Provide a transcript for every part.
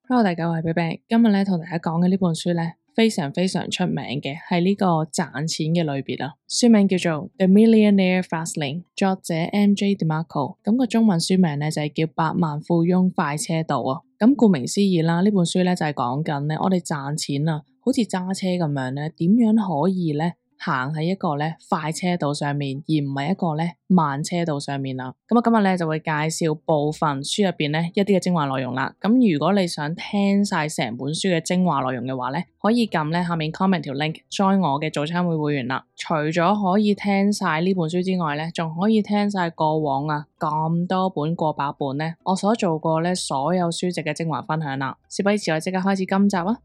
Hello，大家好，我係 BB，今日咧同大家講嘅呢本書咧非常出名嘅，係呢個賺錢嘅類別啊。書名叫做《The Millionaire Fastlane》，作者 MJ DeMarco，咁個中文書名咧就係叫《百萬富翁快車道》啊。咁顧名思義啦，呢本書咧就係講緊咧我哋賺錢啊，好似揸車咁樣咧，點樣可以咧行喺一個咧快車道上面，而唔係一個咧慢車道上面啦。咁我今日咧就會介紹部分書入邊咧一啲嘅精華內容啦。咁如果你想聽晒成本書嘅精華內容嘅話咧，可以撳咧下面 comment 條 link join 我嘅早餐會員啦。除咗可以聽晒呢本書之外咧，仲可以聽晒過往啊咁多本過百本咧，我所做過咧所有書籍嘅精華分享啦。事不宜遲，我即刻開始今集啊！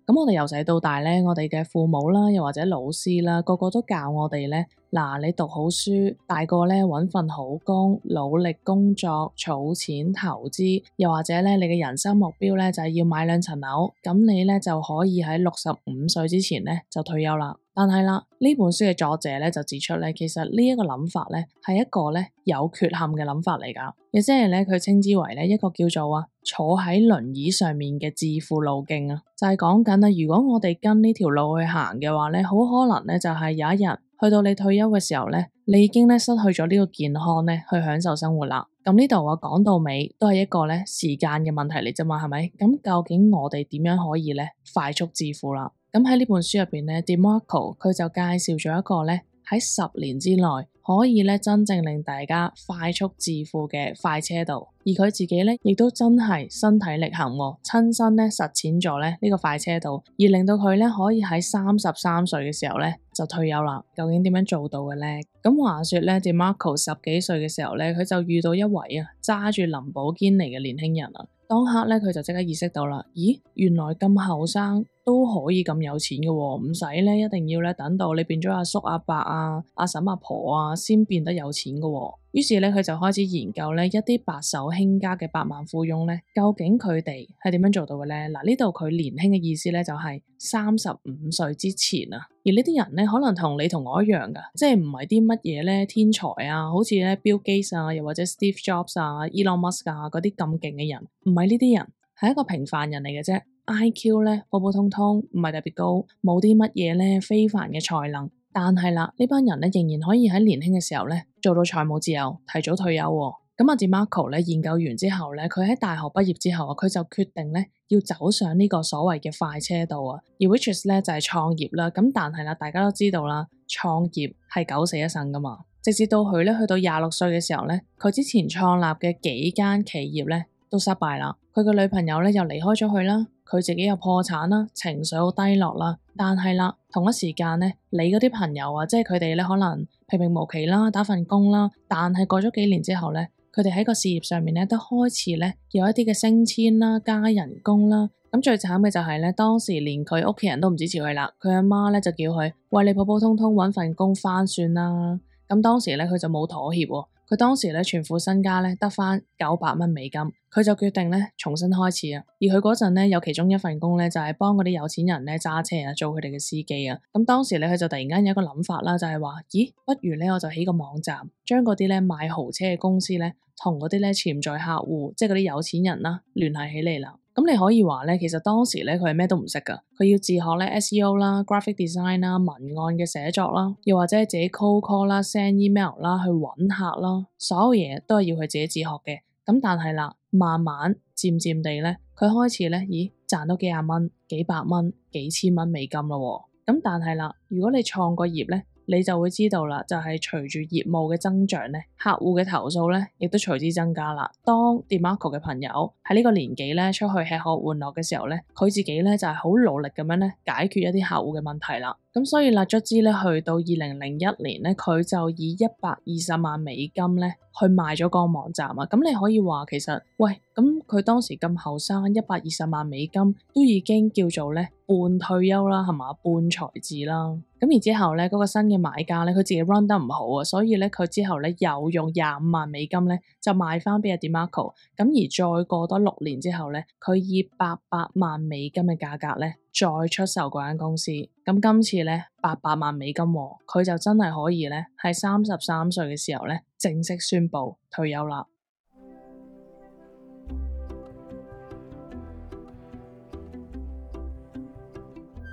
咁我哋由細到大咧，我哋嘅父母啦，又或者老師啦，個個都教我哋咧，嗱，你讀好書，大個咧搵份好工，努力工作，儲錢投資，又或者咧你嘅人生目標咧就係要買2層樓，咁你咧就可以喺65歲之前咧就退休啦。但係啦，呢本書嘅作者咧就指出咧，其實呢一個諗法咧係一個咧有缺陷嘅諗法嚟噶，亦即係咧佢稱之為咧一個叫做坐喺輪椅上面嘅致富路徑啊，就係講緊如果我哋跟呢條路去行嘅話咧，好可能咧就係有一日去到你退休嘅時候咧，你已經咧失去咗呢個健康咧去享受生活啦。咁呢度講到尾都係一個咧時間嘅問題嚟啫嘛，係咪？咁究竟我哋點樣可以咧快速致富啦？咁喺呢本書入邊咧 DeMarco 佢就介紹咗一個咧喺10年之內可以咧真正令大家快速致富嘅快車道，而佢自己咧亦都真係身體力行，親身咧實踐咗咧呢個快車道，而令到佢咧可以喺33歲嘅時候咧就退休啦。究竟點樣做到嘅咧？咁話說咧 DeMarco 10幾歲嘅時候咧，佢就遇到一位揸住林寶堅尼嘅年輕人啊。當刻咧佢就即刻意識到啦，咦，原來咁後生都可以咁有錢嘅喎，唔使咧一定要咧等到你變咗阿叔阿伯阿嬸阿婆先變得有錢嘅喎。於是咧佢就開始研究咧一啲白手興家嘅百萬富翁咧，究竟佢哋係點樣做到嘅咧？嗱，呢度佢年輕嘅意思咧就係35歲之前啊。而呢啲人咧可能同你同我一樣噶，即係唔係啲乜嘢咧天才啊，好似咧 Bill Gates 又或者 Steve Jobs Elon Musk 嗰啲咁勁嘅人，唔係呢啲人，係一個平凡人嚟嘅啫。IQ 咧普普通通，唔係特別高，冇啲乜嘢咧非凡嘅才能，但係啦，呢班人咧仍然可以喺年輕嘅時候咧做到財務自由，提早退休喎。咁DeMarco咧研究完之後咧，佢喺大學畢業之後佢就決定咧要走上呢個所謂嘅快車道而 which is 咧就係創業啦。咁但係啦，大家都知道啦，創業係九死一生噶嘛。直至到佢咧去到26歲嘅時候咧，佢之前創立嘅幾間企業咧都失敗啦。佢嘅女朋友咧又離開咗佢啦，佢自己又破產啦，情緒好低落啦。但係啦，同一時間咧，你嗰啲朋友即係佢哋咧可能平平無奇啦，打份工啦，但係過咗幾年之後咧，佢哋喺個事業上面咧都開始咧有一啲嘅升遷啦、加人工啦。咁最慘嘅就係咧，當時連佢屋企人都唔支持佢啦，佢阿媽咧就叫佢喂，你普普通通搵份工返算啦。咁當時咧佢就冇妥協喎。佢當時咧全副身家咧得返900蚊美金，佢就決定咧重新開始啊。而佢嗰陣咧有其中一份工咧就係幫嗰啲有錢人咧揸車做佢哋嘅司機啊。咁當時咧佢就突然間有一個諗法啦，就係話，咦，不如咧我就起個網站，將嗰啲咧賣豪車嘅公司咧同嗰啲咧潛在客戶，即係嗰啲有錢人啦聯繫起嚟啦。咁你可以話咧，其實當時咧佢係咩都唔識噶，佢要自學咧 SEO 啦、graphic design 啦、文案嘅寫作啦，又或者自己 cold call 啦、send email 啦去揾客啦，所有嘢都係要佢自己自學嘅。咁但係啦，慢慢漸漸地咧，佢開始咧，咦，賺到幾廿蚊、幾百蚊、幾千蚊美金咯。咁但係啦，如果你創個業咧，你就會知道啦，就係隨住業務嘅增長咧，客戶嘅投訴咧，亦都隨之增加啦。當 DeMarco 嘅朋友喺呢個年紀咧出去吃喝玩樂嘅時候咧，佢自己咧就係好努力咁樣咧解決一啲客戶嘅問題啦。咁所以啦，卒之咧去到2001年咧，佢就以120萬美金咧去賣咗個網站啊。咁你可以話其實，喂，咁佢當時咁後生，120萬美金都已經叫做咧半退休啦，係嘛，半財智啦。咁然之後咧，嗰個新嘅買家咧，佢自己 run 得唔好啊，所以咧佢之後咧又用25萬美金咧就賣翻俾阿 DeMarco。咁而再過多6年之後咧，佢以800萬美金嘅價格咧再出售嗰間公司。咁今次咧$800萬，佢就真係可以咧喺33歲嘅時候咧正式宣布退休啦。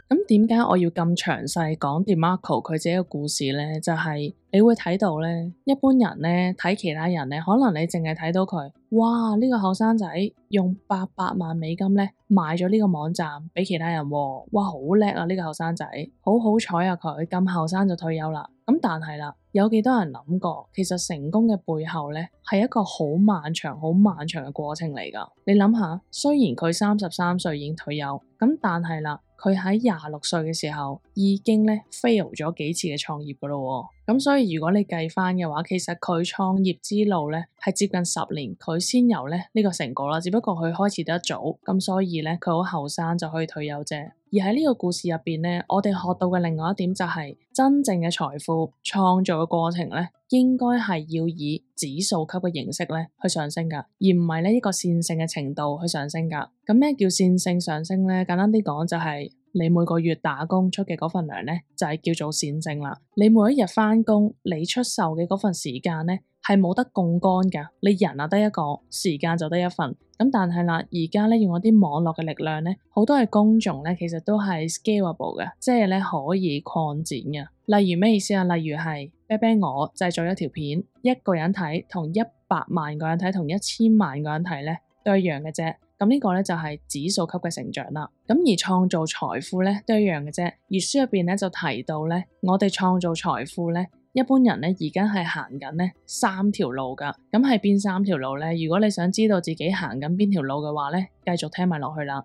咁點解我要咁詳細講 DeMarco 佢自己嘅故事咧？就係你會睇到咧，一般人咧睇其他人咧，可能你淨係睇到佢，哇！呢個後生仔用$800萬咧買咗呢個網站俾其他人喎，哇！好叻啊！呢個後生仔，好好彩啊！佢咁後生就退休啦。咁但係啦，有幾多人諗過，其實成功嘅背後咧係一個好漫長、好漫長嘅過程嚟㗎。你諗下，雖然佢33歲已經退休，咁但係啦，佢喺26歲嘅時候已經咧 fail 咗幾次嘅創業㗎咯喎。咁所以如果你計翻嘅話，其實佢創業之路咧係接近10年，佢先有咧呢個成果啦。只不過佢開始得早，咁所以咧佢好後生就可以退休啫。而喺呢個故事入邊咧，我哋學到嘅另外一點就係，真正嘅財富創造嘅過程咧，應該係要以指數級嘅形式咧去上升㗎，而唔係呢一個線性嘅程度去上升㗎。咁咩叫線性上升咧？簡單啲講就係，你每個月打工出嘅嗰份糧咧，就係叫做線性啦。你每一日返工，你出售嘅嗰份時間咧，係冇得槓桿㗎。你人啊得一個，時間就得一份。咁但係啦，而家咧用一啲網絡嘅力量咧，好多嘅工種咧，其實都係 scalable 嘅，即係咧可以擴展嘅。例如咩意思啊？例如係啤啤我製作一條片，一個人睇同100萬個人睇同1000萬個人睇咧，都一樣嘅啫。咁呢個咧就係指數級嘅成長啦。咁而創造財富咧都一樣嘅啫。而書入邊咧就提到咧，我哋創造財富咧，一般人咧而家係行緊咧3條路㗎。咁係邊3條路咧？如果你想知道自己行緊邊條路嘅話咧，繼續聽埋落去啦。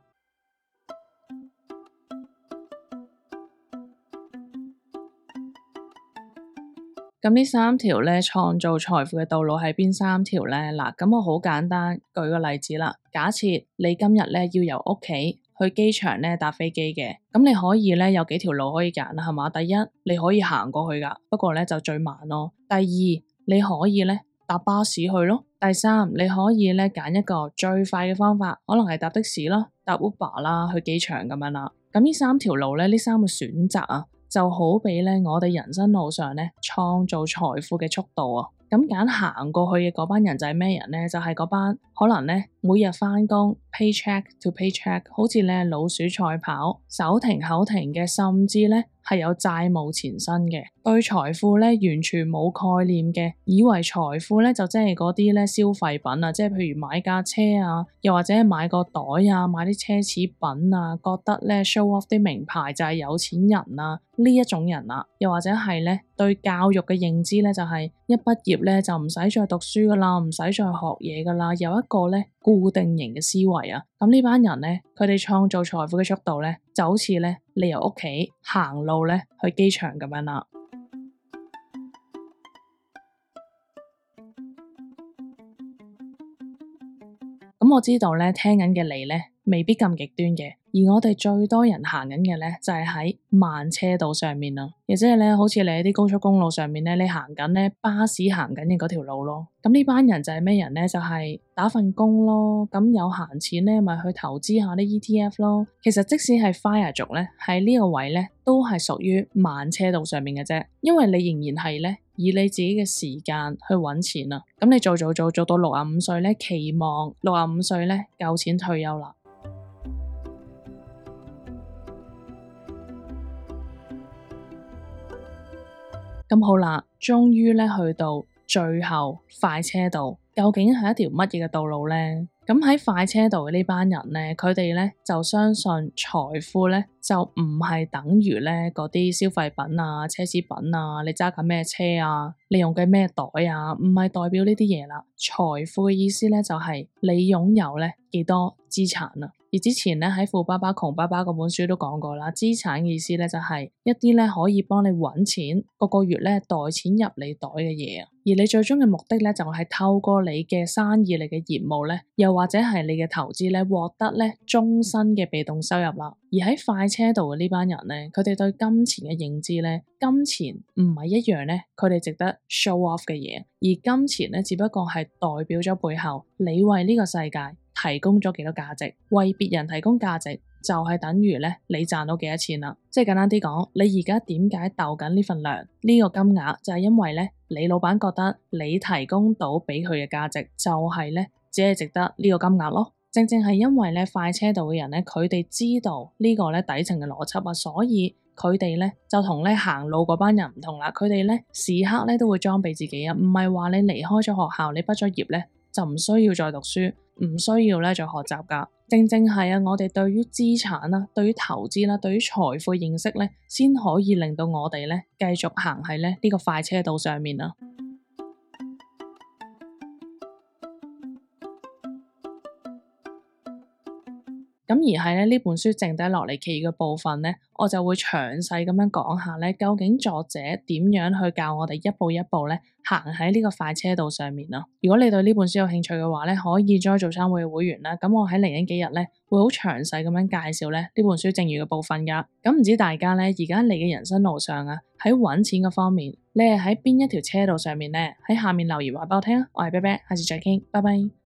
咁呢3條咧創造財富嘅道路係邊3條咧？嗱，咁我好簡單舉個例子啦。假設你今日咧要由屋企去機場咧搭飛機嘅，咁你可以咧有幾條路可以揀啦，係嘛？第一，你可以行過去㗎，不過咧就最慢咯。第二，你可以咧搭巴士去咯。第三，你可以咧揀一個最快嘅方法，可能係搭的士啦、搭 Uber 啦去機場咁樣啦。咁呢3條路咧，呢3個選擇啊，就好比咧我哋人生路上咧創造財富嘅速度啊。咁揀行過去嘅嗰班人就係咩人咧？就係嗰班可能咧每日返工 paycheck to paycheck， 好似咧老鼠賽跑，手停口停嘅，甚至咧係有債務纏身嘅，對財富咧完全冇概念嘅，以為財富咧就即係嗰啲咧消費品啊，即係譬如買架車啊，又或者買個袋啊，買啲奢侈品啊，覺得咧 show off 啲名牌就係有錢人啊，呢一種人啊，又或者係咧對教育嘅認知咧就係一畢業咧就唔使再讀書噶啦，唔使再學嘢噶啦，有一個咧固定型嘅思維啊。咁呢班人咧，佢哋創造財富嘅速度咧，就好似咧你由屋企行路咧去機場咁樣啦。咁我知道咧，聽緊嘅你咧未必咁極端嘅，而我哋最多人行緊嘅咧就係喺慢車道上面啊，亦即係咧好似你喺啲高速公路上面咧，你行緊咧巴士行緊嘅嗰條路咯。咁呢班人就係咩人咧？就係打份工咯，咁有閒錢咧咪去投資下啲 ETF 咯。其實即使係 FIRE 族咧，喺呢個位咧都係屬於慢車道上面嘅啫，因為你仍然係咧以你自己嘅時間去揾錢啊。咁你做到65歲咧，期望65歲咧夠錢退休啦。咁好啦，終於咧去到最後快車道，究竟係一條乜嘢嘅道路咧？咁喺快車道嘅呢班人咧，佢哋咧就相信財富咧就唔係等於咧嗰啲消費品啊、奢侈品啊，你揸緊咩車啊，你用緊咩袋啊，唔係代表呢啲嘢啦。財富嘅意思咧就係你擁有咧幾多資產啊。而之前咧喺《富爸爸窮爸爸》嗰本書都講過啦，資產嘅意思咧就係一啲咧可以幫你搵錢，個月咧袋錢入你袋嘅嘢啊。而你最終嘅目的咧就係透過你嘅生意、你嘅業務咧，又或者係你嘅投資咧，獲得咧終身嘅被動收入啦。而喺快車道嘅呢班人咧，佢哋對金錢嘅認知咧，金錢唔係一樣咧，佢哋值得 show off 嘅嘢，而金錢咧只不過係代表咗背後你為呢個世界提供咗幾多價值，為別人提供價值就係等於咧你賺到幾多錢啦。即係簡單啲講，你而家點解鬥緊呢份糧呢個金額，就係因為咧你老闆覺得你提供到俾佢嘅價值就係咧只係值得呢個金額咯。正正係因為咧快車道嘅人咧，佢哋知道呢個咧底層嘅邏輯啊，所以佢哋咧就同咧行路嗰班人唔同啦。佢哋咧時刻咧都會裝備自己啊，唔係話你離開咗學校，你畢咗業咧就唔需要再讀書，唔需要咧再學習噶。正正係啊，我哋對於資產啦、對於投資啦、對於財富認識咧，先可以令到我哋咧繼續行喺咧呢個快車道上面啊。咁而係咧呢本書剩低落嚟其餘嘅部分咧，我就會詳細咁樣講下咧，究竟作者點樣去教我哋一步一步咧行喺呢個快車道上面啊。如果你對呢本書有興趣嘅話咧，可以 join 早餐會嘅會員啦。咁我喺嚟緊幾日咧會好詳細咁樣介紹咧呢本書剩餘嘅部分噶。咁唔知大家咧而家你嘅人生路上啊，喺揾錢嘅方面，你係喺邊一條車道上面咧？喺下面留言話俾我聽啊。我係啤啤，下次再傾，拜拜。